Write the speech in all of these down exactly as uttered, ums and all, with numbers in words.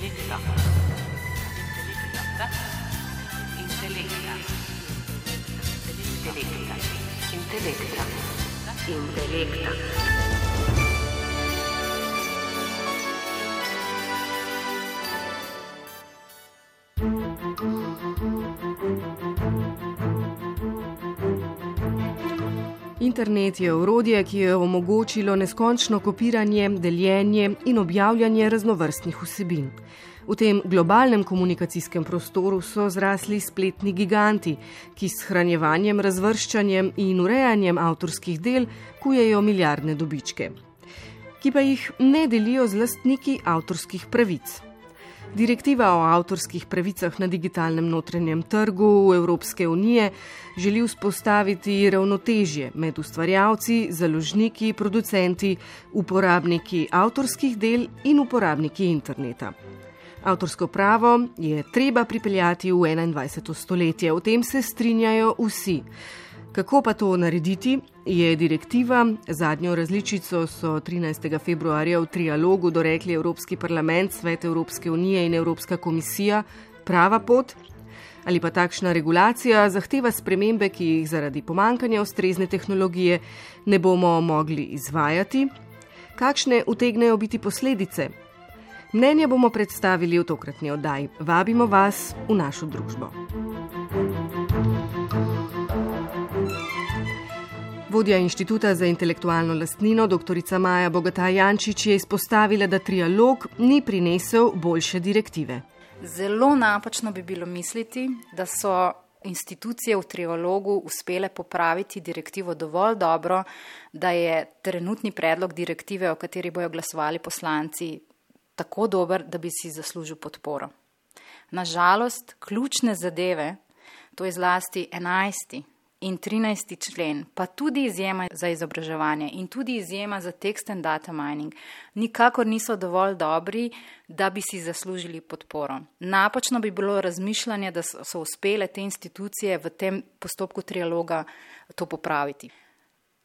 Intelekta. Intelekta. Intelekta. Intelekta. Intelekta. Internet je orodje, ki je omogočilo neskončno kopiranje, deljenje in objavljanje raznovrstnih vsebin. V tem globalnem komunikacijskem prostoru so zrasli spletni giganti, ki s shranjevanjem, razvrščanjem in urejanjem avtorskih del kujejo milijardne dobičke, ki pa jih ne delijo z lastniki avtorskih pravic. Direktiva o avtorskih pravicah na digitalnem notranjem trgu Evropske unije želi vzpostaviti ravnotežje med ustvarjalci, založniki, producenti, uporabniki avtorskih del in uporabniki interneta. Avtorsko pravo je treba pripeljati v enaindvajseto stoletje, o tem se strinjajo vsi. Kako pa to narediti, je direktiva, zadnjo različico so trinajstega februarja v trialogu dorekli Evropski parlament, Svet Evropske unije in Evropska komisija, prava pot? Ali pa takšna regulacija zahteva spremembe, ki jih zaradi pomankanja ustrezne tehnologije ne bomo mogli izvajati? Kakšne utegnejo biti posledice? Mnenje bomo predstavili v tokratni oddaji. Vabimo vas v našo družbo. Vodja Inštituta za intelektualno lastnino, doktorica Maja Bogataj Jančič, je izpostavila, da trialog ni prinesel boljše direktive. Zelo napačno bi bilo misliti, da so institucije v trialogu uspele popraviti direktivo dovolj dobro, da je trenutni predlog direktive, o kateri bojo glasovali poslanci, tako dober, da bi si zaslužil podporo. Nažalost, ključne zadeve, to je zlasti enajsti in trinajsti člen, pa tudi izjema za izobraževanje in tudi izjema za text and data mining, nikakor niso dovolj dobri, da bi si zaslužili podporo. Napačno bi bilo razmišljanje, da so uspele te institucije v tem postopku trialoga to popraviti.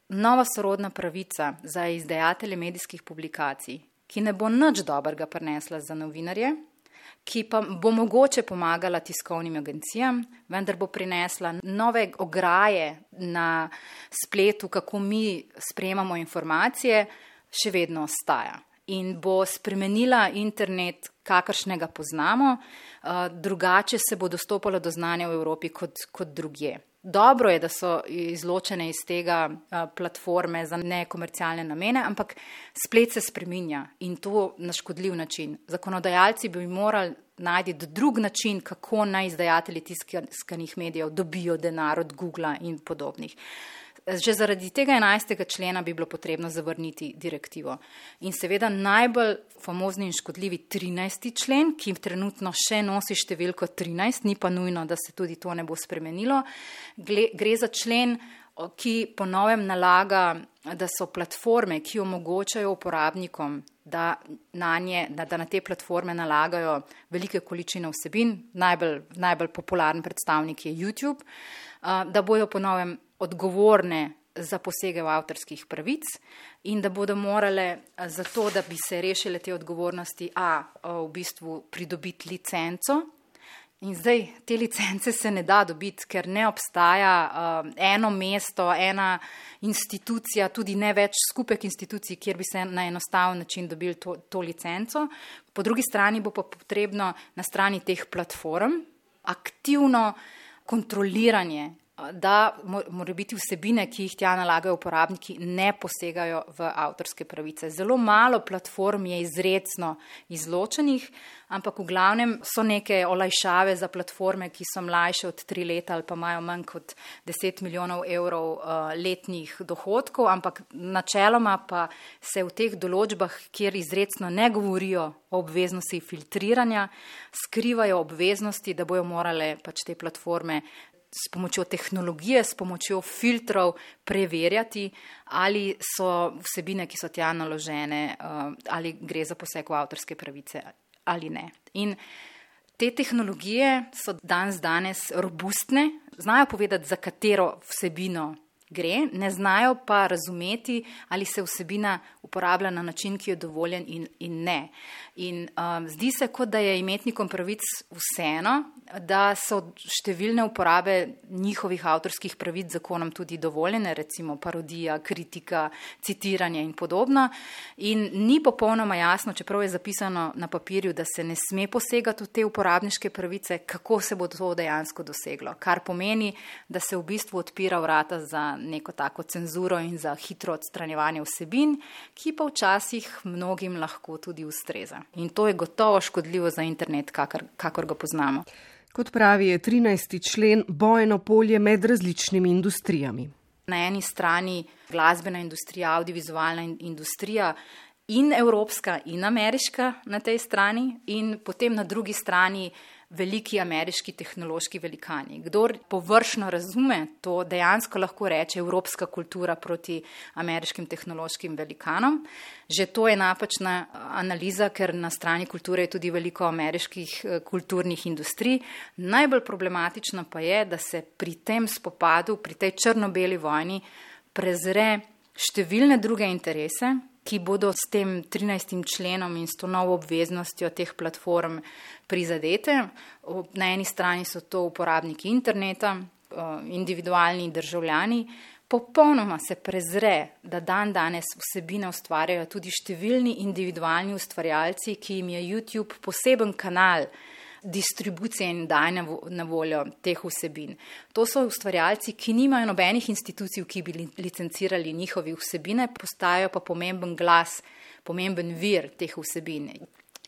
Nova sorodna pravica za izdajatelje medijskih publikacij, ki ne bo nič dobrega prinesla za novinarje, ki pa bo mogoče pomagala tiskovnim agencijam, vendar bo prinesla nove ograje na spletu, kako mi sprejemamo informacije, še vedno ostaja. In bo spremenila internet, kakršnega poznamo, drugače se bo dostopalo do znanja v Evropi kot, kot drugje. Dobro je, da so izločene iz tega platforme za nekomercialne namene, ampak splet se spreminja in to na škodljiv način. Zakonodajalci bi morali najti drug način, kako naj izdajatelji tiskanih medijev dobijo denar od Googla in podobnih. Že zaradi tega enajstega člena bi bilo potrebno zavrniti direktivo. In seveda najbolj famozni in škodljivi trinajsti člen, ki trenutno še nosi številko trinajst, ni pa nujno, da se tudi to ne bo spremenilo. Gre za člen, ki po novem nalaga, da so platforme, ki omogočajo uporabnikom, da na, nje, da, da na te platforme nalagajo velike količine vsebin, najbolj, najbolj popularen predstavnik je YouTube, da bojo po novem odgovorne za posege v avtorskih pravic in da bodo morale za to, da bi se rešile te odgovornosti, a v bistvu pridobiti licenco. In zdaj te licence se ne da dobiti, ker ne obstaja uh, eno mesto, ena institucija, tudi ne več skupek institucij, kjer bi se na enostaven način dobili to, to licenco. Po drugi strani bo pa potrebno na strani teh platform aktivno kontroliranje, da mora biti vsebine, ki jih tja nalagajo uporabniki, ne posegajo v avtorske pravice. Zelo malo platform je izrecno izločenih, ampak v glavnem so neke olajšave za platforme, ki so mlajše od tri leta ali pa imajo manj kot deset milijonov evrov uh, letnih dohodkov, ampak načeloma pa se v teh določbah, kjer izrecno ne govorijo o obveznosti filtriranja, skrivajo obveznosti, da bojo morale pač te platforme s pomočjo tehnologije, s pomočjo filtrov preverjati, ali so vsebine, ki so tja naložene, ali gre za poseg v avtorske pravice ali ne. In te tehnologije so danes danes robustne, znajo povedati, za katero vsebino gre, ne znajo pa razumeti, ali se vsebina uporablja na način, ki je dovoljen in, in ne. In um, zdi se, kot da je imetnikom pravic vseeno, da so številne uporabe njihovih avtorskih pravic zakonom tudi dovoljene, recimo parodija, kritika, citiranje in podobno. In ni popolnoma jasno, čeprav je zapisano na papirju, da se ne sme posegati v te uporabniške pravice, kako se bo to dejansko doseglo. Kar pomeni, da se v bistvu odpira vrata za neko tako cenzuro in za hitro odstranjevanje vsebin, ki pa včasih mnogim lahko tudi ustreza. In to je gotovo škodljivo za internet, kakor, kakor ga poznamo. Kot pravi, je trinajsti člen bojno polje med različnimi industrijami. Na eni strani glasbena industrija, audiovizualna industrija in evropska in ameriška na tej strani in potem na drugi strani veliki ameriški tehnološki velikani. Kdor površno razume, to dejansko lahko reče evropska kultura proti ameriškim tehnološkim velikanom. Že to je napačna analiza, ker na strani kulture je tudi veliko ameriških kulturnih industrij. Najbolj problematično pa je, da se pri tem spopadu, pri tej črno-beli vojni prezre številne druge interese, ki bodo s tem trinajstim členom in s to novo obveznostjo teh platform prizadete. Na eni strani so to uporabniki interneta, individualni državljani. Popolnoma se prezre, da dan danes vsebine ustvarjajo tudi številni individualni ustvarjalci, ki jim je YouTube poseben kanal distribucije in dajanja na voljo teh vsebin. To so ustvarjalci, ki nimajo nobenih institucij, ki bi licencirali njihove vsebine, postajajo pa pomemben glas, pomemben vir teh vsebin.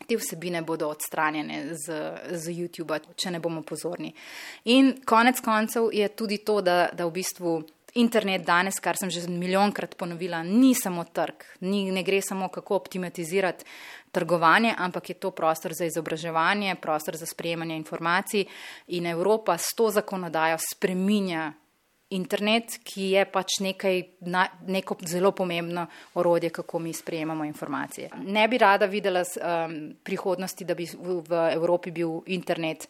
Te vsebine bodo odstranjene z, z YouTubea, če ne bomo pozorni. In konec koncev je tudi to, da, da v bistvu internet danes, kar sem že milijonkrat ponovila, ni samo trg, ni, ne gre samo kako optimizirati trgovanje, ampak je to prostor za izobraževanje, prostor za sprejemanje informacij in Evropa s to zakonodajo spreminja internet, ki je pač nekaj, neko zelo pomembno orodje, kako mi sprejemamo informacije. Ne bi rada videla um, prihodnosti, da bi v, v Evropi bil internet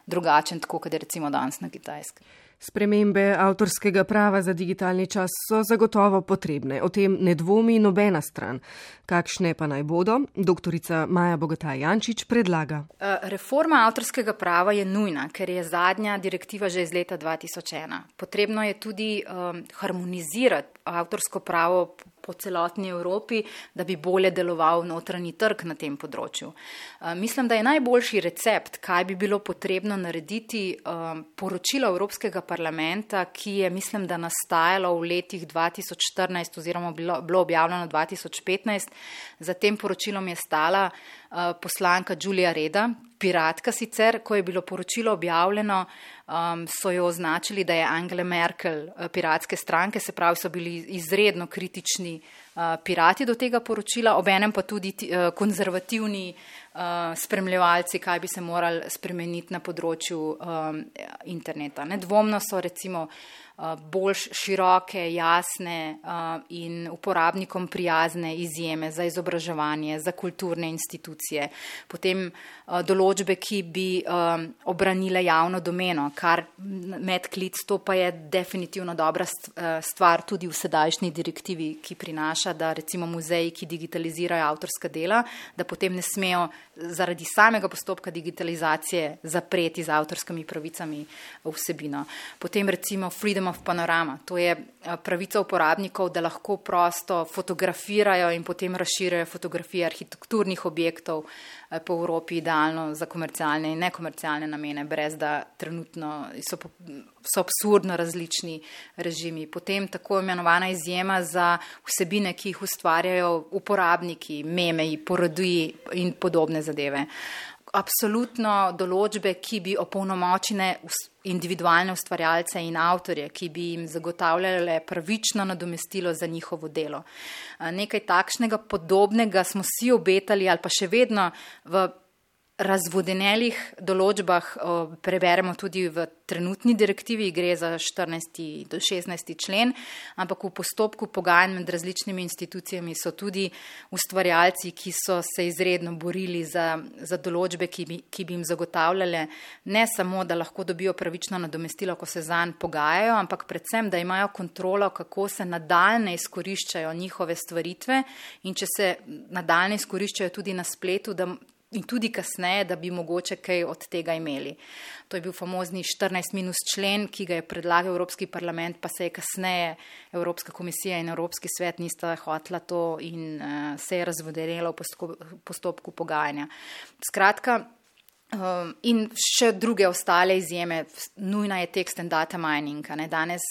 drugačen, tako kot je recimo danes na Kitajskem. Spremembe avtorskega prava za digitalni čas so zagotovo potrebne. O tem ne dvomi nobena stran. Kakšne pa naj bodo? Doktorica Maja Bogataj Jančič predlaga. Reforma avtorskega prava je nujna, ker je zadnja direktiva že iz leta dva tisoč ena. Potrebno je tudi um, harmonizirati avtorsko pravo po celotni Evropi, da bi bolje deloval notranji trg na tem področju. Uh, mislim, da je najboljši recept, kaj bi bilo potrebno narediti, um, poročilo Evropskega parlamenta, ki je, mislim, da nastajalo v letih dva tisoč štirinajst oziroma bilo, bilo objavljeno dva tisoč petnajst. Za tem poročilom je stala uh, poslanka Julia Reda, piratka sicer. Ko je bilo poročilo objavljeno, um, so jo označili, da je Angela Merkel uh, piratske stranke, se pravi, so bili izredno kritični uh, pirati do tega poročila, obenem pa tudi uh, konzervativni uh, spremljevalci, kaj bi se morali spremeniti na področju um, interneta. Nedvomno so recimo bolj široke, jasne uh, in uporabnikom prijazne izjeme za izobraževanje, za kulturne institucije. Potem uh, določbe, ki bi um, obranile javno domeno, kar medklic, to pa je definitivno dobra stvar tudi v sedajšnji direktivi, ki prinaša, da recimo muzeji, ki digitalizirajo avtorska dela, da potem ne smejo zaradi samega postopka digitalizacije zapreti z avtorskimi pravicami vsebino. Potem recimo Freedom of Panorama, to je pravica uporabnikov, da lahko prosto fotografirajo in potem razširjajo fotografije arhitekturnih objektov po Evropi, idealno za komercialne in nekomercialne namene, brez da trenutno so, so absurdno različni režimi. Potem tako imenovana izjema za vsebine, ki jih ustvarjajo uporabniki, memeji, parodiji in podobne zadeve. Absolutno določbe, ki bi opolnomočile individualne ustvarjalce in avtorje, ki bi jim zagotavljale pravično nadomestilo za njihovo delo. Nekaj takšnega podobnega smo si obetali ali pa še vedno v razvodenelih določbah preberemo tudi v trenutni direktivi, gre za štirinajsti do šestnajsti člen, ampak v postopku pogajanj med različnimi institucijami so tudi ustvarjalci, ki so se izredno borili za, za določbe, ki bi, ki bi jim zagotavljale ne samo, da lahko dobijo pravično nadomestilo, ko se zanj pogajajo, ampak predvsem, da imajo kontrolo, kako se nadaljne izkoriščajo njihove stvaritve in če se nadaljne izkoriščajo tudi na spletu, da in tudi kasneje, da bi mogoče kaj od tega imeli. To je bil famozni štirinajst minus člen, ki ga je predlagal Evropski parlament, pa se je kasneje Evropska komisija in Evropski svet nista hotela to in uh, se je razvodenelo v postopku, postopku pogajanja. Skratka, um, in še druge ostale izjeme, nujna je text and data mining. Ne? Danes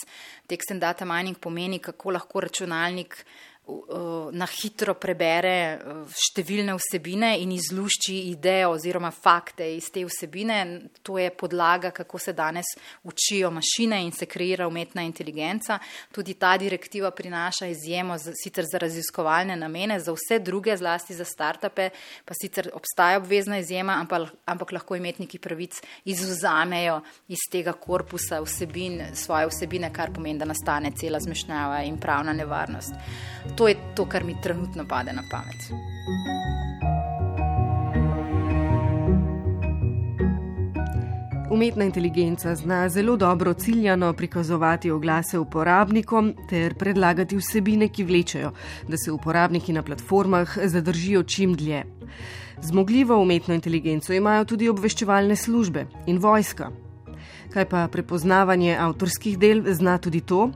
text and data mining pomeni, kako lahko računalnik na hitro prebere številne vsebine in izlušči idejo oziroma fakte iz te vsebine. To je podlaga, kako se danes učijo mašine in se kreira umetna inteligenca. Tudi ta direktiva prinaša izjemo z, sicer za raziskovalne namene, za vse druge, zlasti za startupe, pa sicer obstaja obvezna izjema, ampak, ampak lahko imetniki pravic izvzamejo iz tega korpusa vsebin, svoje vsebine, kar pomeni, da nastane cela zmešnjava in pravna nevarnost. To je to, kar mi trenutno pade na pamet. Umetna inteligenca zna zelo dobro ciljano prikazovati oglase uporabnikom ter predlagati vsebine, ki vlečejo, da se uporabniki na platformah zadržijo čim dlje. Zmogljivo umetno inteligenco imajo tudi obveščevalne službe in vojska. Kaj pa prepoznavanje avtorskih del zna tudi to?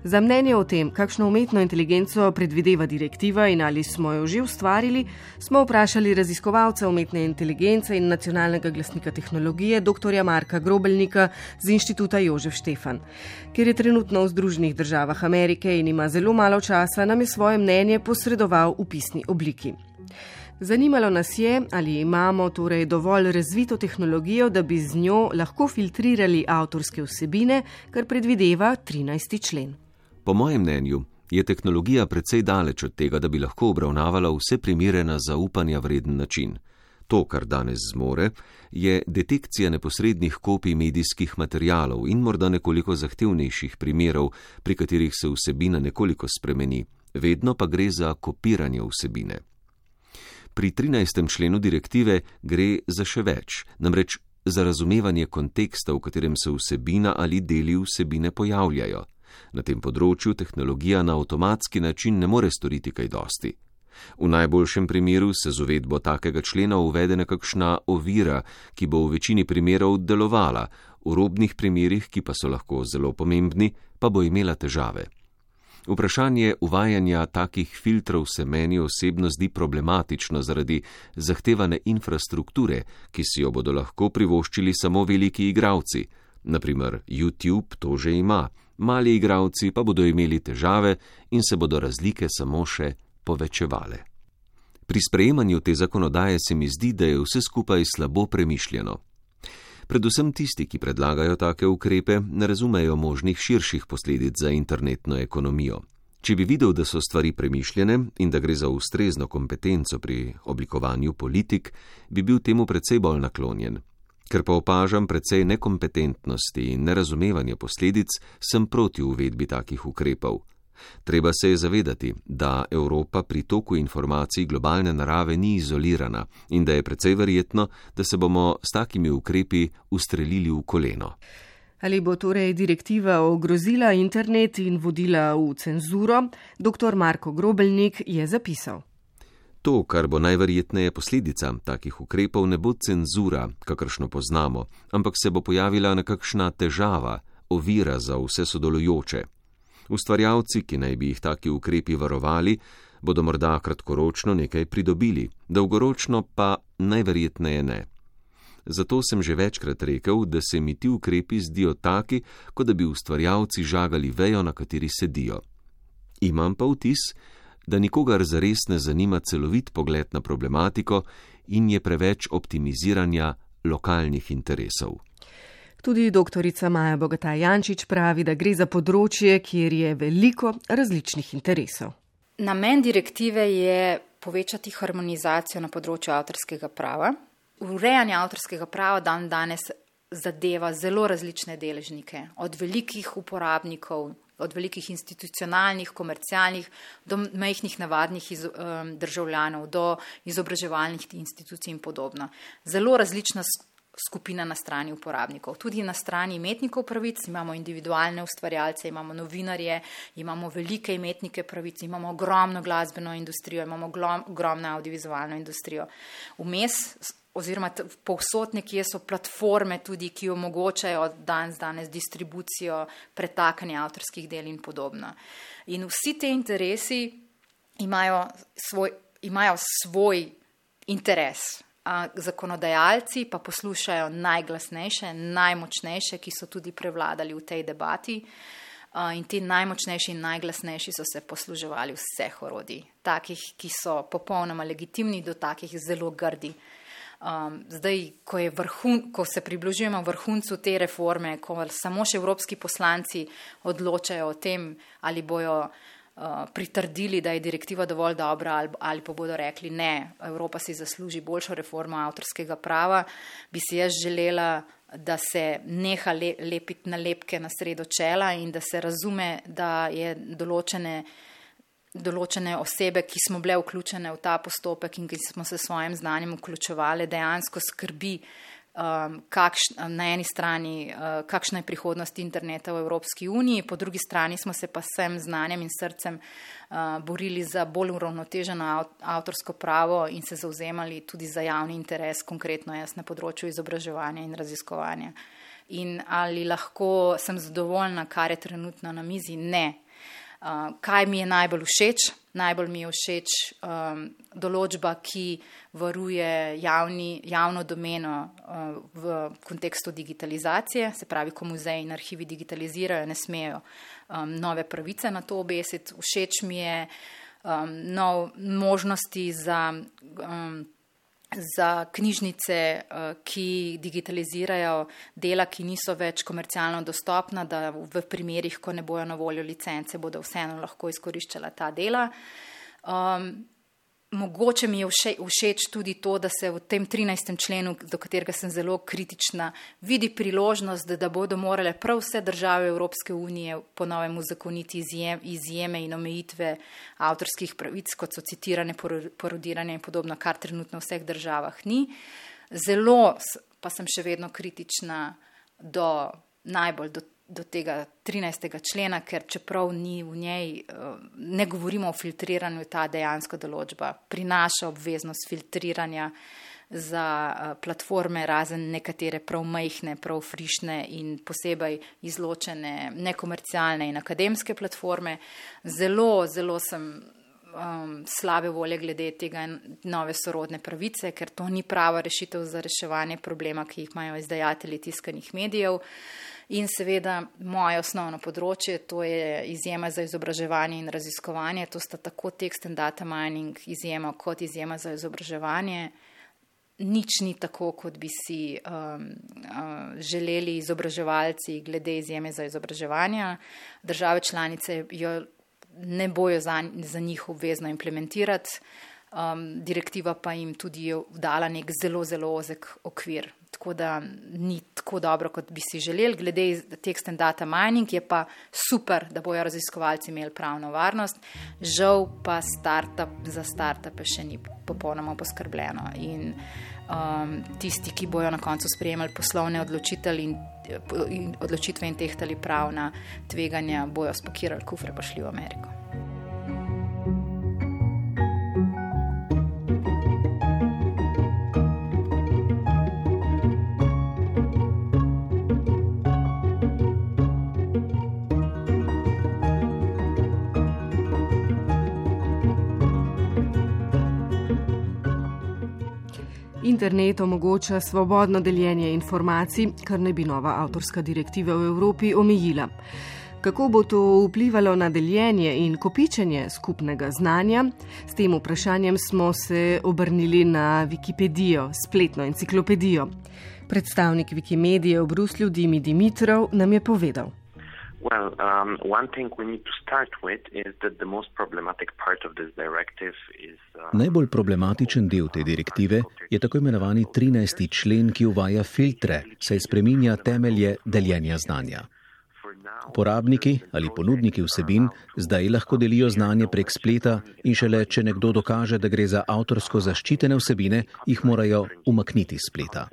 Za mnenje o tem, kakšno umetno inteligenco predvideva direktiva in ali smo jo že ustvarili, smo vprašali raziskovalca umetne inteligence in nacionalnega glasnika tehnologije doktorja Marka Grobelnika z Inštituta Jožef Štefan. Ker je trenutno v Združenih državah Amerike in ima zelo malo časa, nam je svoje mnenje posredoval v pisni obliki. Zanimalo nas je, ali imamo torej dovolj razvito tehnologijo, da bi z njo lahko filtrirali avtorske vsebine, kar predvideva trinajsti člen. Po mojem mnenju je tehnologija precej daleč od tega, da bi lahko obravnavala vse primere na zaupanja vreden način. To, kar danes zmore, je detekcija neposrednih kopij medijskih materialov in morda nekoliko zahtevnejših primerov, pri katerih se vsebina nekoliko spremeni, vedno pa gre za kopiranje vsebine. Pri trinajstem členu direktive gre za še več, namreč za razumevanje konteksta, v katerem se vsebina ali deli vsebine pojavljajo. Na tem področju tehnologija na avtomatski način ne more storiti kaj dosti. V najboljšem primeru se z uvedbo takega člena uvede nekakšna ovira, ki bo v večini primerov delovala, v robnih primerih, ki pa so lahko zelo pomembni, pa bo imela težave. Vprašanje uvajanja takih filtrov se meni osebno zdi problematično zaradi zahtevane infrastrukture, ki si jo bodo lahko privoščili samo veliki igralci. Naprimer, YouTube to že ima, mali igralci pa bodo imeli težave in se bodo razlike samo še povečevale. Pri sprejemanju te zakonodaje se mi zdi, da je vse skupaj slabo premišljeno. Predvsem tisti, ki predlagajo take ukrepe, ne razumejo možnih širših posledic za internetno ekonomijo. Če bi videl, da so stvari premišljene in da gre za ustrezno kompetenco pri oblikovanju politik, bi bil temu precej bolj naklonjen. Ker pa opažam precej nekompetentnosti in nerazumevanja posledic, sem proti uvedbi takih ukrepov. Treba se je zavedati, da Evropa pri toku informacij globalne narave ni izolirana in da je precej verjetno, da se bomo s takimi ukrepi ustrelili v koleno. Ali bo torej direktiva ogrozila internet in vodila v cenzuro? Doktor Marko Grobelnik je zapisal. To, kar bo najverjetneje posledica takih ukrepov, ne bo cenzura, kakršno poznamo, ampak se bo pojavila nekakšna težava, ovira za vse sodelujoče. Ustvarjalci, ki naj bi jih taki ukrepi varovali, bodo morda kratkoročno nekaj pridobili, dolgoročno pa najverjetneje ne. Zato sem že večkrat rekel, da se mi ti ukrepi zdijo taki, kot da bi ustvarjalci žagali vejo, na kateri sedijo. Imam pa vtis, da nikogar zares ne zanima celovit pogled na problematiko in je preveč optimiziranja lokalnih interesov. Tudi doktorica Maja Bogataj Jančič pravi, da gre za področje, kjer je veliko različnih interesov. Namen direktive je povečati harmonizacijo na področju avtorskega prava urejanje avtorskega prava dan danes zadeva zelo različne deležnike, od velikih uporabnikov, od velikih institucionalnih, komercialnih, do majhnih navadnih iz, um, državljanov, do izobraževalnih institucij in podobno. Zelo različna skupina na strani uporabnikov. Tudi na strani imetnikov pravic imamo individualne ustvarjalce, imamo novinarje, imamo velike imetnike pravic, imamo ogromno glasbeno industrijo, imamo ogromno audiovizualno industrijo. Vmes oziroma povsod nekje so platforme tudi, ki omogočajo danes, danes distribucijo, pretakanje avtorskih del in podobno. In vsi te interesi imajo svoj, imajo svoj interes. A zakonodajalci pa poslušajo najglasnejše, najmočnejše, ki so tudi prevladali v tej debati. In ti najmočnejši in najglasnejši so se posluževali vseh orodij, takih, ki so popolnoma legitimni, do takih zelo grdi. Um, zdaj, ko, je vrhun, ko se približujemo vrhuncu te reforme, ko samo še evropski poslanci odločajo o tem, ali bojo uh, pritrdili, da je direktiva dovolj dobra, ali, ali pa bodo rekli ne, Evropa si zasluži boljšo reformo avtorskega prava, bi si jaz želela, da se neha le, lepiti nalepke na sredo čela in da se razume, da je določene določene osebe, ki smo bile vključene v ta postopek in ki smo se s svojim znanjem vključevali, dejansko skrbi um, kakš, na eni strani, uh, kakšna je prihodnost interneta v Evropski uniji, po drugi strani smo se pa s vsem znanjem in srcem uh, borili za bolj uravnoteženo avtorsko pravo in se zauzemali tudi za javni interes, konkretno jaz na področju izobraževanja in raziskovanja. In ali lahko sem zadovoljna, kar je trenutno na mizi? Ne. Uh, kaj mi je najbolj všeč? Najbolj mi je všeč um, določba, ki varuje javni, javno domeno uh, v kontekstu digitalizacije, se pravi, ko muzeji in arhivi digitalizirajo, ne smejo um, nove pravice na to obesiti. Všeč mi je um, nov možnosti za um, za knjižnice, ki digitalizirajo dela, ki niso več komercialno dostopna, da v primerih, ko ne bojo na voljo licence, bodo vseeno lahko izkoriščala ta dela. Um, mogoče mi je vše, všeč tudi to, da se v tem trinajstem členu, do katerega sem zelo kritična, vidi priložnost, da, da bodo morale prav vse države Evropske unije po novem uzakoniti izjem, izjeme in omejitve avtorskih pravic, kot so citirane, parodiranje in podobno, kar trenutno v vseh državah ni. Zelo pa sem še vedno kritična do najbolj do do tega trinajstega člena, ker čeprav ni v njej, ne govorimo o filtriranju, ta dejansko določba prinaša obveznost filtriranja za platforme, razen nekatere prav majhne, prav frišne in posebej izločene nekomercialne in akademske platforme. Zelo, zelo sem um, slabe volje glede tega nove sorodne pravice, ker to ni prava rešitev za reševanje problema, ki jih imajo izdajatelji tiskanih medijev. In seveda moje osnovno področje, to je izjema za izobraževanje in raziskovanje, to sta tako text and data mining izjema kot izjema za izobraževanje. Nič ni tako, kot bi si um, uh, želeli izobraževalci glede izjeme za izobraževanje. Države članice jo ne bojo za, za njih obvezno implementirati, um, direktiva pa jim tudi je dala nek zelo, zelo ozek okvir. Tako da ni tako dobro, kot bi si želeli. Glede text and data mining je pa super, da bojo raziskovalci imeli pravno varnost. Žal pa startup, za startupe še ni popolnoma poskrbljeno. In um, tisti, ki bojo na koncu sprejemali poslovne odločitve in, in odločitve in tehtali pravna tveganja, bojo spakirali kufre pa šli v Ameriko. Internet omogoča svobodno deljenje informacij, kar ne bi nova avtorska direktiva v Evropi omejila. Kako bo to vplivalo na deljenje in kopičenje skupnega znanja? S tem vprašanjem smo se obrnili na Wikipedijo, spletno enciklopedijo. Predstavnik Wikimedije v Bruslju, Dimi Dimitrov, nam je povedal. Well, um, one thing we need to start with is that the most problematic part of this directive is... Uh, Najbolj problematičen del te direktive je tako imenovani trinajsti člen, ki uvaja filtre, saj spreminja temelje deljenja znanja. Uporabniki ali ponudniki vsebin zdaj lahko delijo znanje prek spleta in šele, če nekdo dokaže, da gre za avtorsko zaščitene vsebine, jih morajo umakniti s spleta.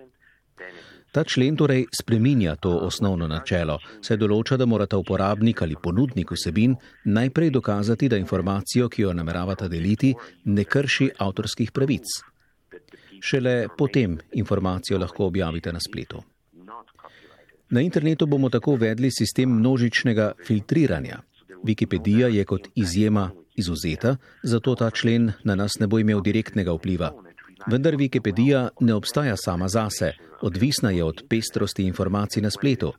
Ta člen torej spreminja to osnovno načelo, saj določa, da morata uporabnik ali ponudnik vsebin najprej dokazati, da informacijo, ki jo nameravata deliti, ne krši avtorskih pravic. Šele potem informacijo lahko objavite na spletu. Na internetu bomo tako uvedli sistem množičnega filtriranja. Wikipedija je kot izjema izvzeta, zato ta člen na nas ne bo imel direktnega vpliva. Vendar Wikipedija ne obstaja sama zase, odvisna je od pestrosti informacij na spletu.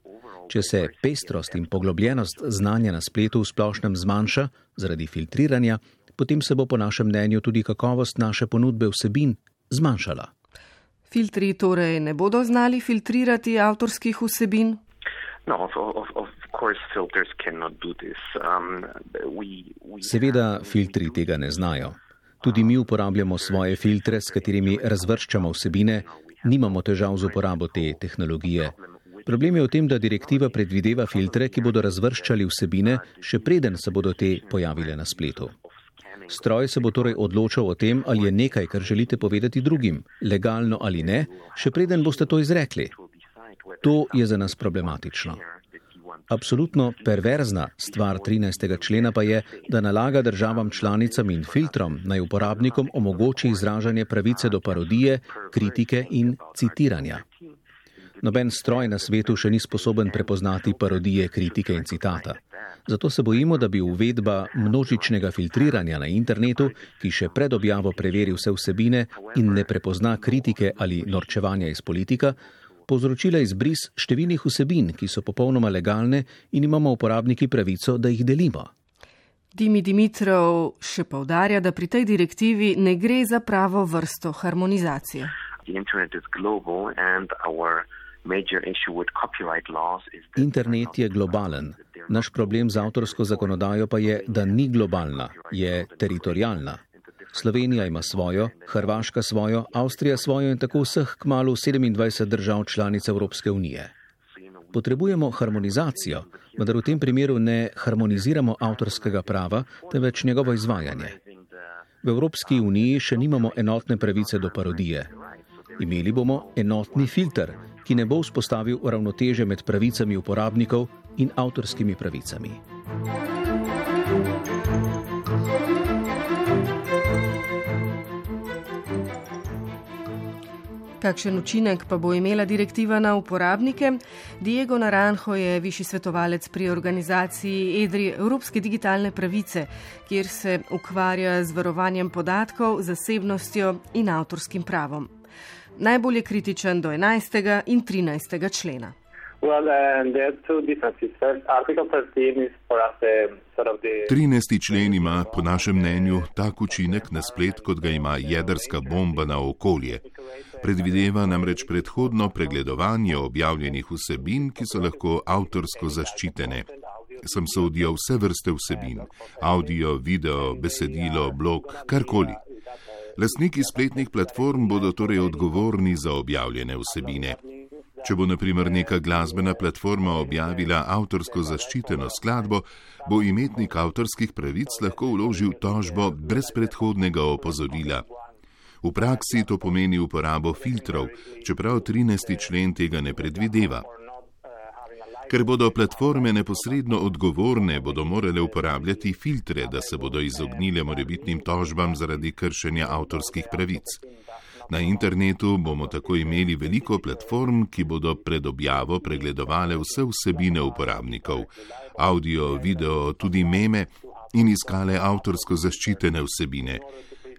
Če se pestrost in poglobljenost znanja na spletu v splošnem zmanjša zaradi filtriranja, potem se bo po našem mnenju tudi kakovost naše ponudbe vsebin zmanjšala. Filtri torej ne bodo znali filtrirati avtorskih vsebin? No, of, of, of course filters cannot do this. Um, we, we Seveda filtri tega ne znajo. Tudi mi uporabljamo svoje filtre, s katerimi razvrščamo vsebine, nimamo težav z uporabo te tehnologije. Problem je v tem, da direktiva predvideva filtre, ki bodo razvrščali vsebine, še preden se bodo te pojavile na spletu. Stroj se bo torej odločal o tem, ali je nekaj, kar želite povedati drugim, legalno ali ne, še preden boste to izrekli. To je za nas problematično. Absolutno perverzna stvar trinajstega člena pa je, da nalaga državam članicam in filtrom naj uporabnikom omogoči izražanje pravice do parodije, kritike in citiranja. Noben stroj na svetu še ni sposoben prepoznati parodije, kritike in citata. Zato se bojimo, da bi uvedba množičnega filtriranja na internetu, ki še pred objavo preveri vse vsebine in ne prepozna kritike ali norčevanja iz politika, povzročila izbris številnih vsebin, ki so popolnoma legalne in imamo uporabniki pravico, da jih delimo. Dimi Dimitrov še poudarja, da pri tej direktivi ne gre za pravo vrsto harmonizacije. Internet je globalen. Naš problem z avtorsko zakonodajo pa je, da ni globalna, je teritorialna. Slovenija ima svojo, Hrvaška svojo, Avstrija svojo in tako vseh kmalu sedemindvajset držav članic Evropske unije. Potrebujemo harmonizacijo, vendar v tem primeru ne harmoniziramo avtorskega prava, temveč njegovo izvajanje. V Evropski uniji še nimamo enotne pravice do parodije. Imeli bomo enotni filter, ki ne bo vzpostavil ravnoteže med pravicami uporabnikov in avtorskimi pravicami. Kakšen učinek pa bo imela direktiva na uporabnike? Diego Naranjo je višji svetovalec pri organizaciji EDRI Evropske digitalne pravice, kjer se ukvarja z varovanjem podatkov, zasebnostjo in avtorskim pravom. Najbolj je kritičen do enajstega in trinajstega člena. trinajsti člen ima po našem mnenju tak učinek na splet, kot ga ima jedrska bomba na okolje. Predvideva namreč predhodno pregledovanje objavljenih vsebin, ki so lahko avtorsko zaščitene. Sem sodijo vse vrste vsebin, audio, video, besedilo, blog, karkoli. Lastniki spletnih platform bodo torej odgovorni za objavljene vsebine. Če bo na primer neka glasbena platforma objavila avtorsko zaščiteno skladbo, bo imetnik avtorskih pravic lahko vložil tožbo brez predhodnega opozorila. V praksi to pomeni uporabo filtrov, čeprav trinajsti člen tega ne predvideva. Ker bodo platforme neposredno odgovorne, bodo morale uporabljati filtre, da se bodo izognile morebitnim tožbam zaradi kršenja avtorskih pravic. Na internetu bomo tako imeli veliko platform, ki bodo pred objavo pregledovale vse vsebine uporabnikov, audio, video, tudi meme in iskale avtorsko zaščitene vsebine.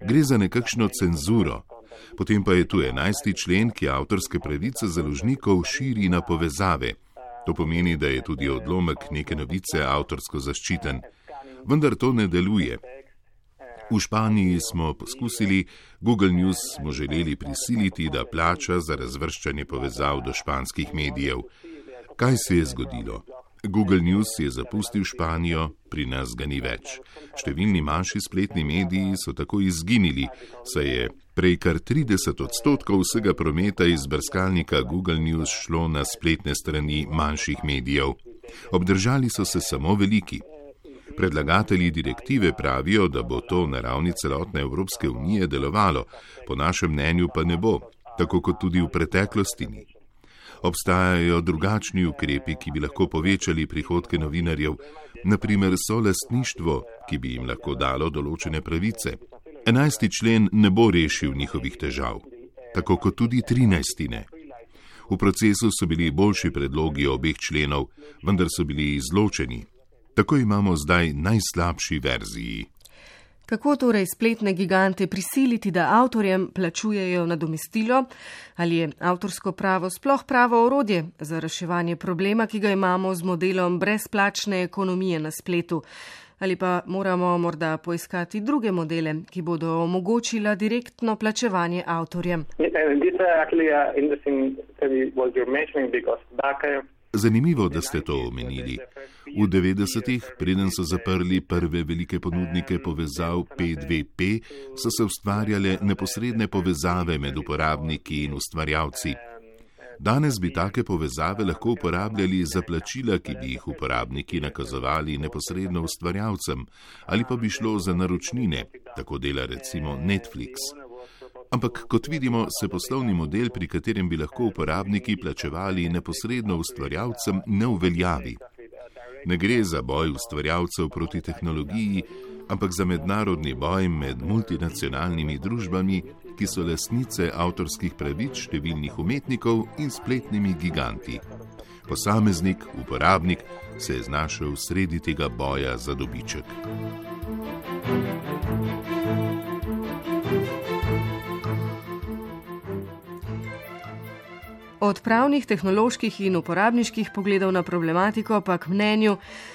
Gre za nekakšno cenzuro. Potem pa je tu enajsti člen, ki avtorske pravice založnikov širi na povezave. To pomeni, da je tudi odlomek neke novice avtorsko zaščiten. Vendar to ne deluje. V Španiji smo poskusili, Google News smo želeli prisiliti, da plača za razvrščanje povezav do španskih medijev. Kaj se je zgodilo? Google News je zapustil Španijo, pri nas ga ni več. Številni manjši spletni mediji so tako izginili, saj je prej kar trideset odstotkov vsega prometa iz brskalnika Google News šlo na spletne strani manjših medijev. Obdržali so se samo veliki. Predlagatelji direktive pravijo, da bo to na ravni celotne Evropske unije delovalo, po našem mnenju pa ne bo, tako kot tudi v preteklosti ni. Obstajajo drugačni ukrepi, ki bi lahko povečali prihodke novinarjev, naprimer solastništvo, ki bi jim lahko dalo določene pravice. Enajsti člen ne bo rešil njihovih težav, tako kot tudi trinajsti ne. V procesu so bili boljši predlogi obeh členov, vendar so bili izločeni. Tako imamo zdaj najslabši verziji. Kako torej spletne gigante prisiliti, da avtorjem plačujejo nadomestilo? Ali je avtorsko pravo sploh pravo orodje za reševanje problema, ki ga imamo z modelom brezplačne ekonomije na spletu? Ali pa moramo morda poiskati druge modele, ki bodo omogočila direktno plačevanje avtorjem? Zanimivo, da ste to omenili. V devetdesetih, preden so zaprli prve velike ponudnike povezav P dve P, so se ustvarjale neposredne povezave med uporabniki in ustvarjalci. Danes bi take povezave lahko uporabljali za plačila, ki bi jih uporabniki nakazovali neposredno ustvarjalcem, ali pa bi šlo za naročnine, tako dela recimo Netflix. Ampak, kot vidimo, se poslovni model, pri katerem bi lahko uporabniki plačevali neposredno ustvarjalcem, ne uveljavi. Ne gre za boj ustvarjalcev proti tehnologiji, ampak za mednarodni boj med multinacionalnimi družbami, ki so lastnice avtorskih pravic številnih umetnikov in spletnimi giganti. Posameznik, uporabnik, se je znašel sredi tega boja za dobiček. Od pravnih, tehnoloških in uporabniških pogledov na problematiko pa k mnenju,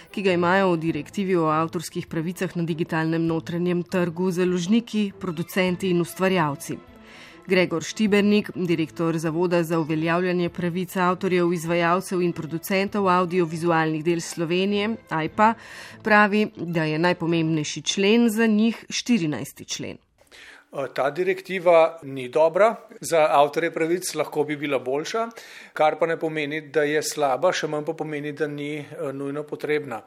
ki ga imajo v direktivi o avtorskih pravicah na digitalnem notranjem trgu založniki, producenti in ustvarjalci. Gregor Štibernik, direktor Zavoda za uveljavljanje pravic avtorjev, izvajalcev in producentov audiovizualnih del Slovenije, A I P A, pravi, da je najpomembnejši člen za njih štirinajsti člen. Ta direktiva ni dobra, za avtorje pravic lahko bi bila boljša, kar pa ne pomeni, da je slaba, še manj pa pomeni, da ni nujno potrebna.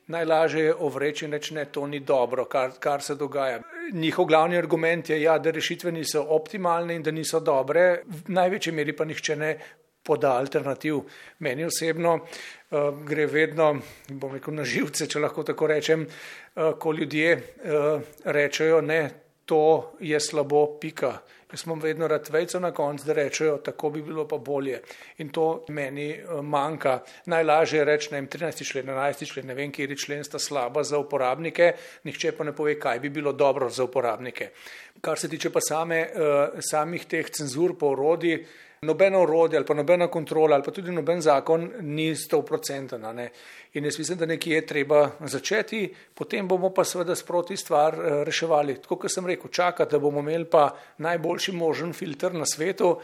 Najlažje je ovreči in reči, ne, to ni dobro, kar, kar se dogaja. Njihov glavni argument je, ja, da rešitve niso optimalne in da niso dobre, v največji meri pa nihče ne poda alternativ. Meni osebno uh, gre vedno, bom rekel, na živce, če lahko tako rečem, uh, ko ljudje uh, rečejo, ne, to je slabo, pika. Jaz imam vedno rad vejco na koncu, da rečejo, tako bi bilo pa bolje. In to meni manjka. Najlažje je reči, ne vem, trinajsti člen, enajsti člen, ne vem, kjeri člen sta slaba za uporabnike, nihče pa ne pove, kaj bi bilo dobro za uporabnike. Kar se tiče pa same, samih teh cenzur po orodji, nobeno orodje ali pa nobena kontrola ali pa tudi noben zakon ni sto procentov. In jaz mislim, da nekje je treba začeti, potem bomo pa seveda sproti stvar reševali. Tako kot sem rekel, čakati, da bomo imeli pa najboljši možen filter na svetu,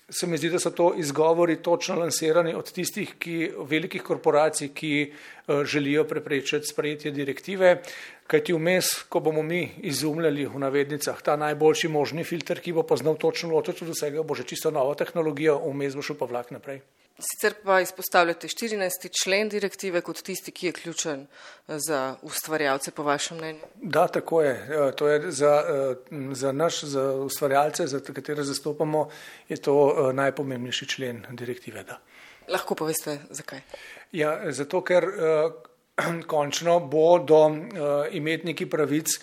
se mi zdi, da so to izgovori točno lansirani od tistih ki, velikih korporacij, ki želijo preprečiti sprejetje direktive, kajti vmes, ko bomo mi izumljali v navednicah ta najboljši možni filter, ki bo pa znal točno ločiti od vsega, bo že čisto nova tehnologija, vmes bo šel pa vlak naprej. Sicer pa izpostavljate štirinajsti člen direktive kot tisti, ki je ključen za ustvarjalce, po vašem mnenju? Da, tako je. To je za, za naš, za ustvarjalce, za katere zastopamo, je to najpomembnejši člen direktive. Da. Lahko poveste, zakaj? Ja, zato, ker končno bodo imetniki pravic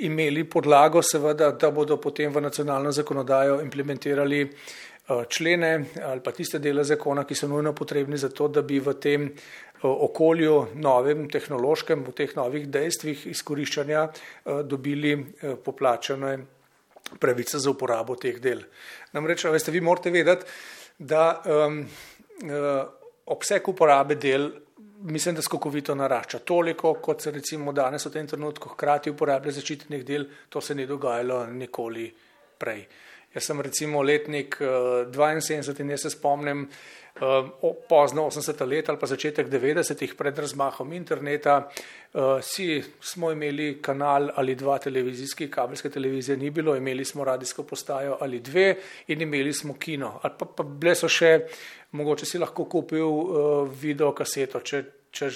imeli podlago, seveda, da bodo potem v nacionalno zakonodajo implementirali člene ali pa tiste dele zakona, ki so nujno potrebni za to, da bi v tem okolju novem, tehnološkem, v teh novih dejstvih izkoriščanja dobili poplačane pravice za uporabo teh del. Namreč, veste, vi morate vedeti, da um, obseg uporabe del mislim, da skokovito narašča. Toliko, kot se recimo danes v tem trenutku hkrati uporablja zaščitenih del, to se ni dogajalo nikoli prej. Jaz sem recimo letnik dvainsedemdeset in jaz se spomnim, pozno osemdeseta let ali pa začetek devetdesetih pred razmahom interneta. Vsi smo imeli kanal ali dva televizijski, kabelske televizije ni bilo, imeli smo radijsko postajo ali dve in imeli smo kino. Ali pa, pa bile so še, mogoče si lahko kupil video kaseto, če, če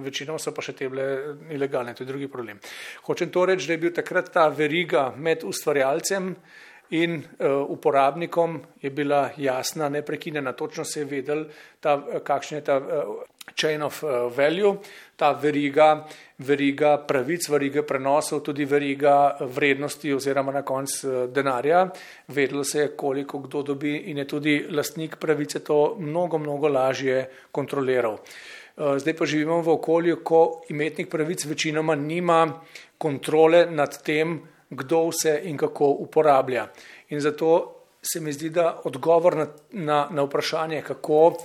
večinoma so pa še te bile ilegalne, to je drugi problem. Hočem to reči, da je bil takrat ta veriga med ustvarjalcem in uh, uporabnikom je bila jasna, neprekinjena, točno se je vedel, ta, kakšen je ta uh, chain of uh, value, ta veriga, veriga pravic, veriga prenosov, tudi veriga vrednosti oziroma na konc uh, denarja. Vedelo se je, koliko kdo dobi in je tudi lastnik pravice to mnogo, mnogo lažje kontroliral. Uh, zdaj pa živimo v okolju, ko imetnik pravic večinoma nima kontrole nad tem, kdo vse in kako uporablja. In zato se mi zdi, da odgovor na, na, na vprašanje, kako,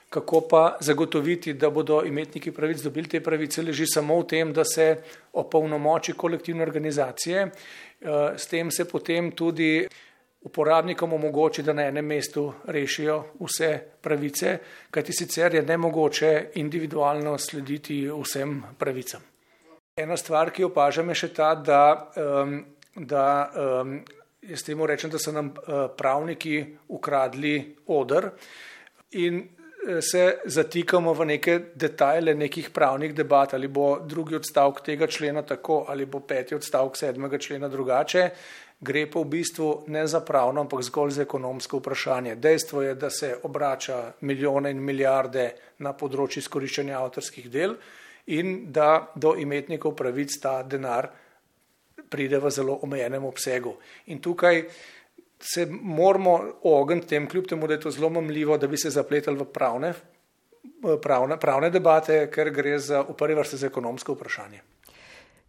kako pa zagotoviti, da bodo imetniki pravic dobili te pravice, leži samo v tem, da se opolnomoči kolektivne organizacije. S tem se potem tudi uporabnikom omogoči, da na enem mestu rešijo vse pravice, kajti sicer je nemogoče individualno slediti vsem pravicam. Ena stvar, ki opažam, je še ta, da um, da um, jaz temu rečem, da so nam uh, pravniki ukradli oder in uh, se zatikamo v neke detajle nekih pravnih debat, ali bo drugi odstavek tega člena tako, ali bo peti odstavek sedmega člena drugače, gre pa v bistvu ne za pravno, ampak zgolj za ekonomsko vprašanje. Dejstvo je, da se obrača milijone in milijarde na področju izkoriščanja avtorskih del in da do imetnikov pravic ta denar pride v zelo omejenem obsegu. In tukaj se moramo ogniti tem, kljub temu, da je to zelo mamljivo, da bi se zapletali v pravne, pravne, pravne debate, ker gre za, v prvi vrsti za ekonomsko vprašanje.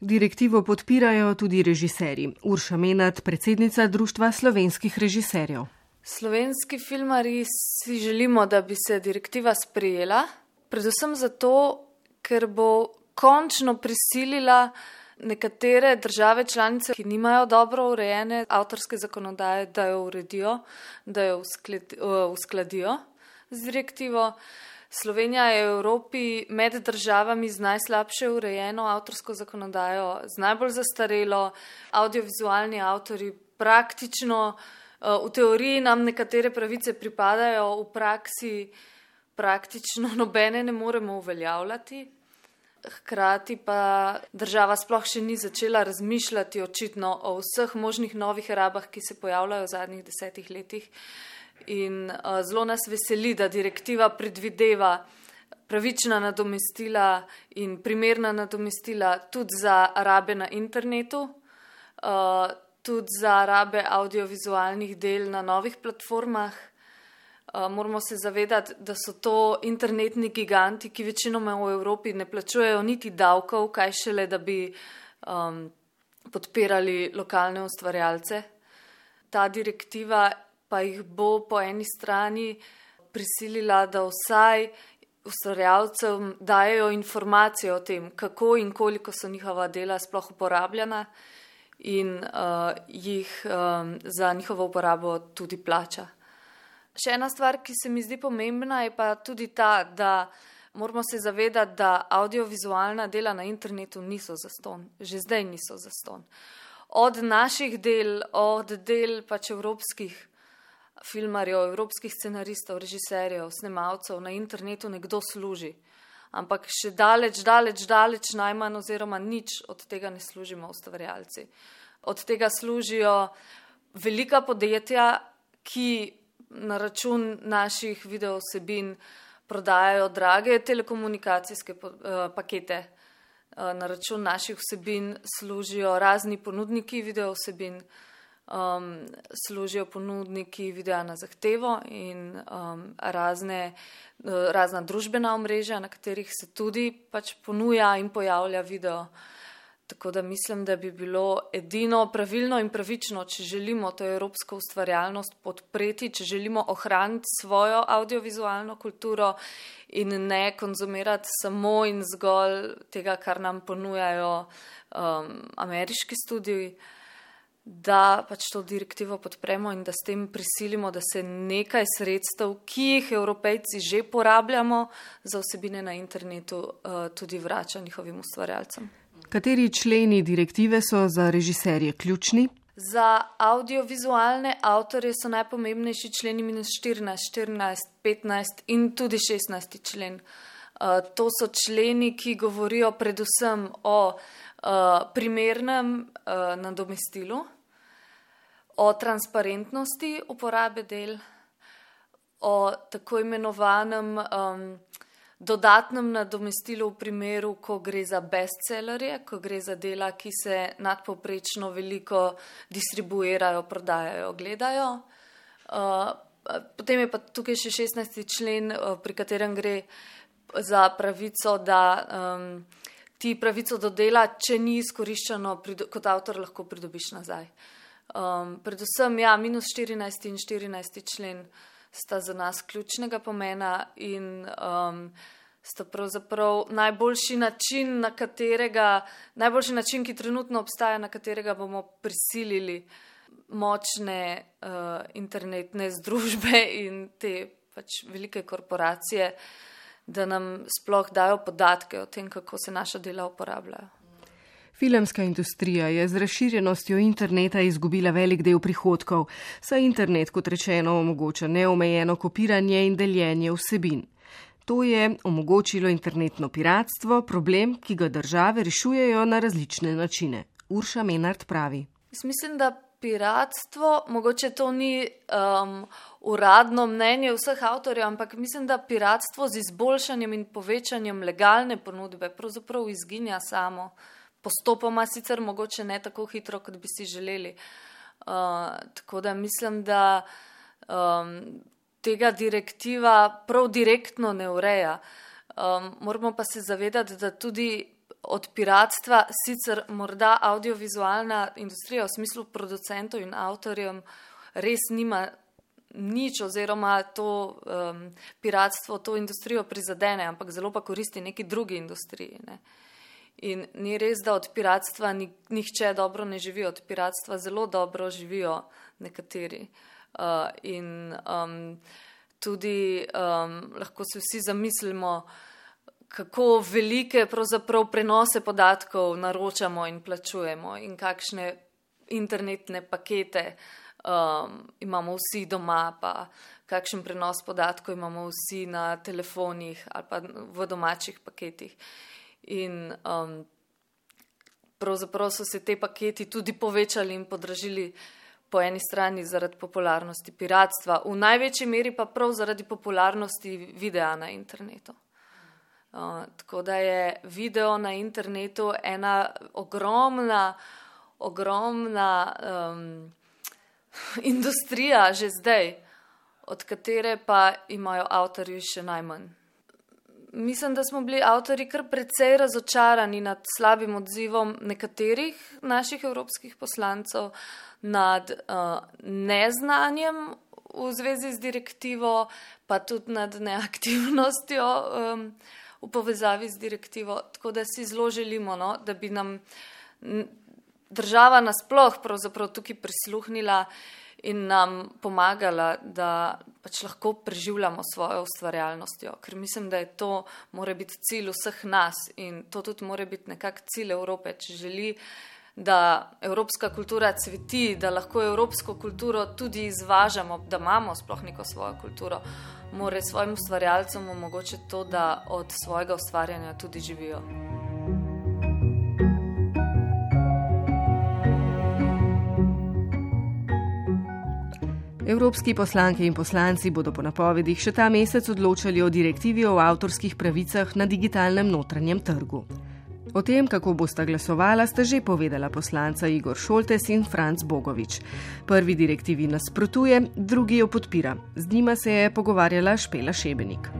Direktivo podpirajo tudi režiserji. Urša Menad, predsednica Društva slovenskih režiserjev. Slovenski filmarji si želimo, da bi se direktiva sprejela, predvsem zato, ker bo končno prisilila nekatere države članice, ki nimajo dobro urejene avtorske zakonodaje, da jo uredijo, da jo uskladijo z direktivo. Slovenija je v Evropi med državami z najslabše urejeno avtorsko zakonodajo, z najbolj zastarelo. Audiovizualni avtori praktično, v teoriji nam nekatere pravice pripadajo, v praksi praktično nobene ne moremo uveljavljati. Hkrati pa država sploh še ni začela razmišljati očitno o vseh možnih novih rabah, ki se pojavljajo v zadnjih desetih letih. In uh, zelo nas veseli, da direktiva predvideva pravična nadomestila in primerna nadomestila tudi za rabe na internetu, uh, tudi za rabe audiovizualnih del na novih platformah. Uh, moramo se zavedati, da so to internetni giganti, ki večinoma v Evropi ne plačujejo niti davkov, kaj šele, da bi um, podpirali lokalne ustvarjalce. Ta direktiva pa jih bo po eni strani prisilila, da vsaj ustvarjalcem dajejo informacije o tem, kako in koliko so njihova dela sploh uporabljena in uh, jih um, za njihovo uporabo tudi plača. Še ena stvar, ki se mi zdi pomembna, je pa tudi ta, da moramo se zavedati, da audiovizualna dela na internetu niso zastonj. Že zdaj niso zastonj. Od naših del, od del pač evropskih filmarjev, evropskih scenaristov, režiserjev, snemalcev na internetu nekdo služi. Ampak še daleč, daleč, daleč najmanj oziroma nič od tega ne služimo ustvarjalci. Od tega služijo velika podjetja, ki na račun naših videovsebin prodajajo drage telekomunikacijske pakete. Na račun naših vsebin služijo razni ponudniki videovsebin, um, služijo ponudniki videa na zahtevo in um, razne, razna družbena omrežja, na katerih se tudi pač ponuja in pojavlja video. Tako da mislim, da bi bilo edino pravilno in pravično, če želimo to evropsko ustvarjalnost podpreti, če želimo ohraniti svojo audiovizualno kulturo in ne konzumirati samo in zgolj tega, kar nam ponujajo um, ameriški studiji, da pač to direktivo podpremo in da s tem prisilimo, da se nekaj sredstev, ki jih Evropejci že porabljamo za vsebine na internetu, tudi vrača njihovim ustvarjalcem. Kateri členi direktive so za režiserje ključni? Za audiovizualne avtorje so najpomembnejši členi minus štirinajst, štirinajst, petnajst in tudi šestnajsti člen. To so členi, ki govorijo predvsem o primernem nadomestilu, o transparentnosti uporabe del, o tako imenovanem um, dodatnem nadomestilu v primeru, ko gre za bestsellerje, ko gre za dela, ki se nadpovprečno veliko distribuirajo, prodajajo, gledajo. Uh, potem je pa tukaj še šestnajsti člen, uh, pri katerem gre za pravico, da um, ti pravico do dela, če ni izkoriščeno, kot avtor lahko pridobiš nazaj. Um, predvsem, ja, minus štirinajsti in štirinajsti člen sta za nas ključnega pomena in um, sta pravzaprav najboljši način, na katerega, najboljši način, ki trenutno obstaja, na katerega bomo prisilili močne uh, internetne združbe in te pač velike korporacije, da nam sploh dajo podatke o tem, kako se naša dela uporabljajo. Filmska industrija je z razširjenostjo interneta izgubila velik del prihodkov, saj internet, kot rečeno, omogoča neomejeno kopiranje in deljenje vsebin. To je omogočilo internetno piratstvo, problem, ki ga države rešujejo na različne načine. Urša Menard pravi. Mislim, da piratstvo, mogoče to ni um, uradno mnenje vseh avtorjev, ampak mislim, da piratstvo z izboljšanjem in povečanjem legalne ponudbe pravzaprav izginja samo. Postopoma sicer mogoče ne tako hitro, kot bi si želeli. Uh, tako da mislim, da um, tega direktiva prav direktno ne ureja. Um, moramo pa se zavedati, da tudi od piratstva sicer morda audiovizualna industrija v smislu producentov in avtorjev res nima nič oziroma to um, piratstvo to industrijo prizadene, ampak zelo pa koristi neki drugi industriji, ne. In ni res, da od piratstva nihče dobro ne živi, od piratstva zelo dobro živijo nekateri. Uh, in um, tudi um, lahko se vsi zamislimo, kako velike pravzaprav prenose podatkov naročamo in plačujemo in kakšne internetne pakete um, imamo vsi doma, pa kakšen prenos podatkov imamo vsi na telefonih ali pa v domačih paketih. In um, pravzaprav so se te paketi tudi povečali in podražili po eni strani zaradi popularnosti piratstva, v največji meri pa prav zaradi popularnosti videa na internetu. Uh, tako da je video na internetu ena ogromna, ogromna um, industrija že zdaj, od katere pa imajo avtorji še najmanj. Mislim, da smo bili avtorji kar precej razočarani nad slabim odzivom nekaterih naših evropskih poslancev, nad uh, neznanjem v zvezi z direktivo, pa tudi nad neaktivnostjo um, v povezavi z direktivo. Tako da si zelo želimo, no, da bi nam država nasploh pravzaprav tukaj prisluhnila in nam pomagala, da pač lahko preživljamo svojo ustvarjalnostjo. Ker mislim, da je to mora biti cilj vseh nas in to tudi mora biti nekak cilj Evrope, če želi, da evropska kultura cveti, da lahko evropsko kulturo tudi izvažamo, da imamo sploh neko svojo kulturo, mora svojim ustvarjalcem omogočiti to, da od svojega ustvarjanja tudi živijo. Evropski poslanke in poslanci bodo po napovedih še ta mesec odločali o direktivi o avtorskih pravicah na digitalnem notranjem trgu. O tem, kako bosta glasovala, sta že povedala poslanca Igor Šoltes in Franc Bogovič. Prvi direktivi nasprotuje, drugi jo podpira. Z njima se je pogovarjala Špela Šebenik.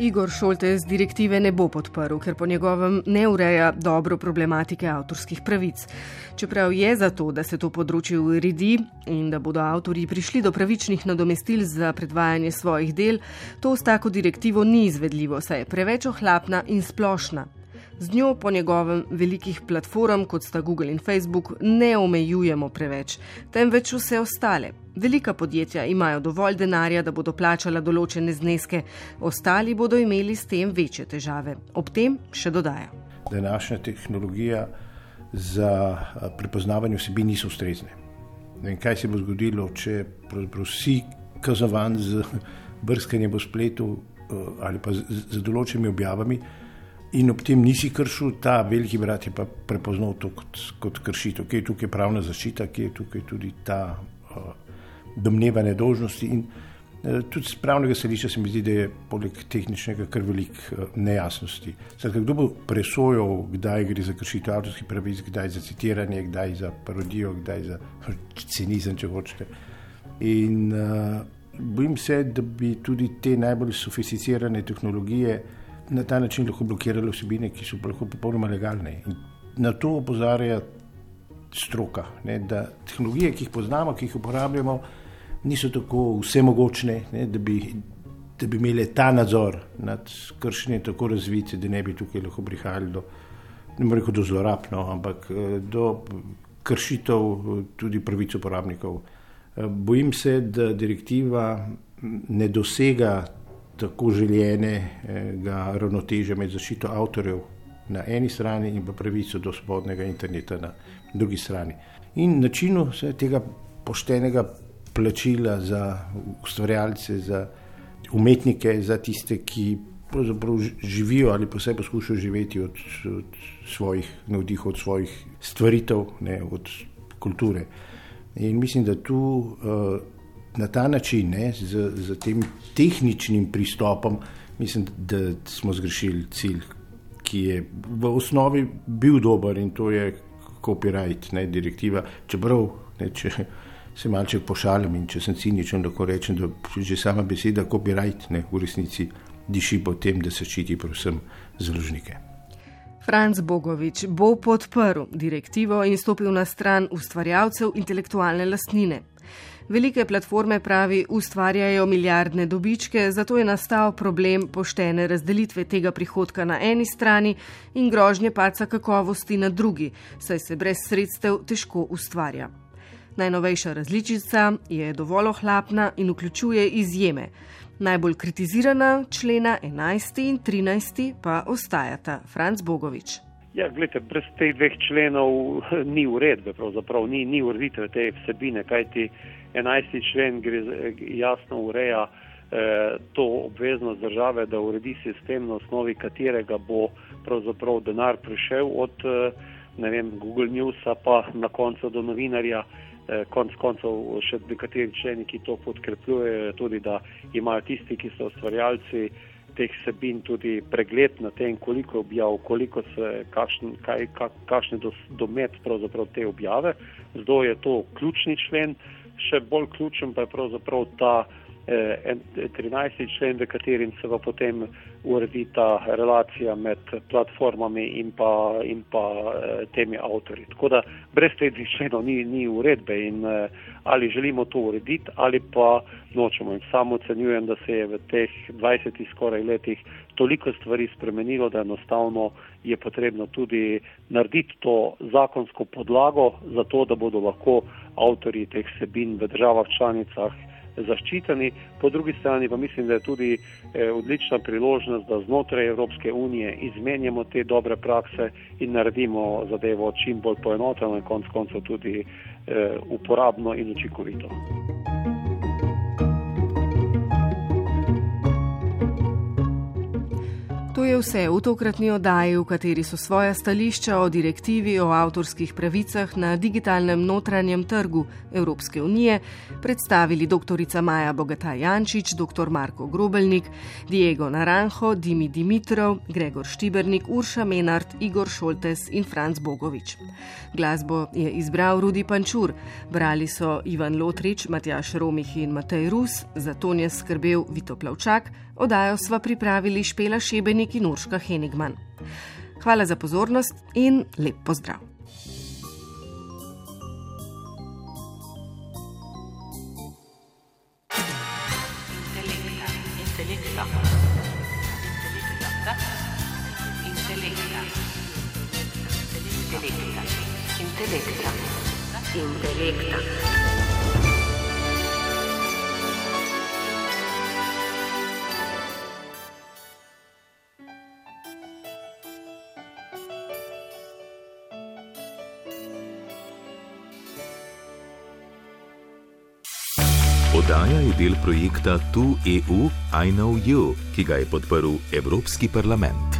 Igor Šoltes direktive ne bo podprl, ker po njegovem ne ureja dobro problematike avtorskih pravic. Čeprav je za to, da se to področje uredi in da bodo avtorji prišli do pravičnih nadomestil za predvajanje svojih del, to s tako direktivo ni izvedljivo, saj je preveč ohlapna in splošna. Z njo po njegovem velikih platform, kot sta Google in Facebook, ne omejujemo preveč, temveč vse ostale. Velika podjetja imajo dovolj denarja, da bodo plačala določene zneske, ostali bodo imeli s tem večje težave. Ob tem še dodaja. Današnja tehnologija za prepoznavanje vsebin niso ustrezne. In kaj se bo zgodilo, če si kaznovan z brskanjem po spletu ali pa z določenimi objavami, in ob tem nisi kršil, ta veliki brat je pa prepoznal to kot, kot kršitev. Kje je tukaj pravna zaščita, kje je tukaj tudi ta uh, domneva nedolžnosti. In uh, tudi z pravnega stališča se mi zdi, da je poleg tehničnega kar velik uh, nejasnosti. Zdaj, kdo bo presojal, kdaj gre za kršitev avtorskih pravic, kdaj za citiranje, kdaj za parodijo, kdaj za cinizem, če hočete. In uh, bojim se, da bi tudi te najbolj sofisticirane tehnologije na ta način lahko blokirale vsebine, ki so lahko popolnoma legalne. In na to opozarja stroka, ne, da tehnologije, ki jih poznamo, ki jih uporabljamo, niso tako vsemogočne, ne, da, bi, da bi imeli ta nadzor nad kršenjem tako razvite, da ne bi tukaj lahko prihajali do, ne bom rekel do zlorab, no, ampak do kršitev tudi pravic uporabnikov. Bojim se, da direktiva ne dosega tako željenega ravnotežja med zaščito avtorjev na eni strani in pa pravico do svobodnega interneta na drugi strani. In načinu tega poštenega plačila za ustvarjalce, za umetnike, za tiste, ki pravzaprav živijo ali pa vsaj poskušajo živeti od, od svojih navdihov, od svojih stvaritev, ne, od kulture. In mislim, da tu uh, na ta način, ne, z, z tem tehničnim pristopom, mislim, da smo zgrešili cilj, ki je v osnovi bil dober, in to je copyright, ne, direktiva. Čeprav, ne, če se malček pošalim in če sem ciničen, lahko rečem, da že sama beseda copyright, ne, v resnici diši po tem, da se ščiti predvsem založnike. Franc Bogovič bo podprl direktivo in stopil na stran ustvarjalcev intelektualne lastnine. Velike platforme, pravi, ustvarjajo milijardne dobičke, zato je nastal problem poštene razdelitve tega prihodka na eni strani in grožnje padca kakovosti na drugi, saj se brez sredstev težko ustvarja. Najnovejša različica je dovolj ohlapna in vključuje izjeme. Najbolj kritizirana člena enajsti in trinajsti pa ostajata. Franc Bogovič. Ja, gledajte, brez teh dveh členov ni uredbe, pravzaprav ni, ni ureditve te vsebine, kajti enajsti člen gre, jasno ureja eh, to obveznost države, da uredi sistem, na osnovi katerega bo pravzaprav denar prišel od eh, ne vem, Google Newsa pa na koncu do novinarja. Eh, konc koncev še nekateri členi, ki to podkrepljujejo, tudi da imajo tisti, ki so ustvarjalci teh vsebin, tudi pregled na tem, koliko objav, koliko se, kakšen, kaj, kakšne domet pravzaprav te objave. Zdaj je to ključni člen, še bolj ključen pa je pravzaprav ta eh, trinajsti člen, v katerim se pa potem uredi ta relacija med platformami in pa, in pa eh, temi avtorji. Tako da brez teh členov ni, ni uredbe in eh, ali želimo to urediti ali pa nočemo. In samo ocenjujem, da se je v teh dvajsetih skoraj letih toliko stvari spremenilo, da enostavno je potrebno tudi narediti to zakonsko podlago za to, da bodo lahko avtorji teh vsebin v državah članicah zaščiteni. Po drugi strani pa mislim, da je tudi eh, odlična priložnost, da znotraj Evropske unije izmenjamo te dobre prakse in naredimo zadevo čim bolj poenoteno in konec koncev tudi eh, uporabno in učinkovito. To je vse v tokratni oddaji, v kateri so svoja stališča o direktivi o avtorskih pravicah na digitalnem notranjem trgu Evropske unije predstavili doktorica Maja Bogataj Jančič, doktor Marko Grobelnik, Diego Naranjo, Dimi Dimitrov, Gregor Štibernik, Urša Menart, Igor Šoltes in Franc Bogovič. Glasbo je izbral Rudi Pančur, brali so Ivan Lotrič, Matjaž Romih in Matej Rus, za ton je skrbel Vito Plavčak, oddajo sva pripravili Špela Šebenik in Urška Henigman. Hvala za pozornost in lep pozdrav. Intelekta. Intelekta. Oddaja je del projekta Tu E U I Know You, ki ga je podprl Evropski parlament.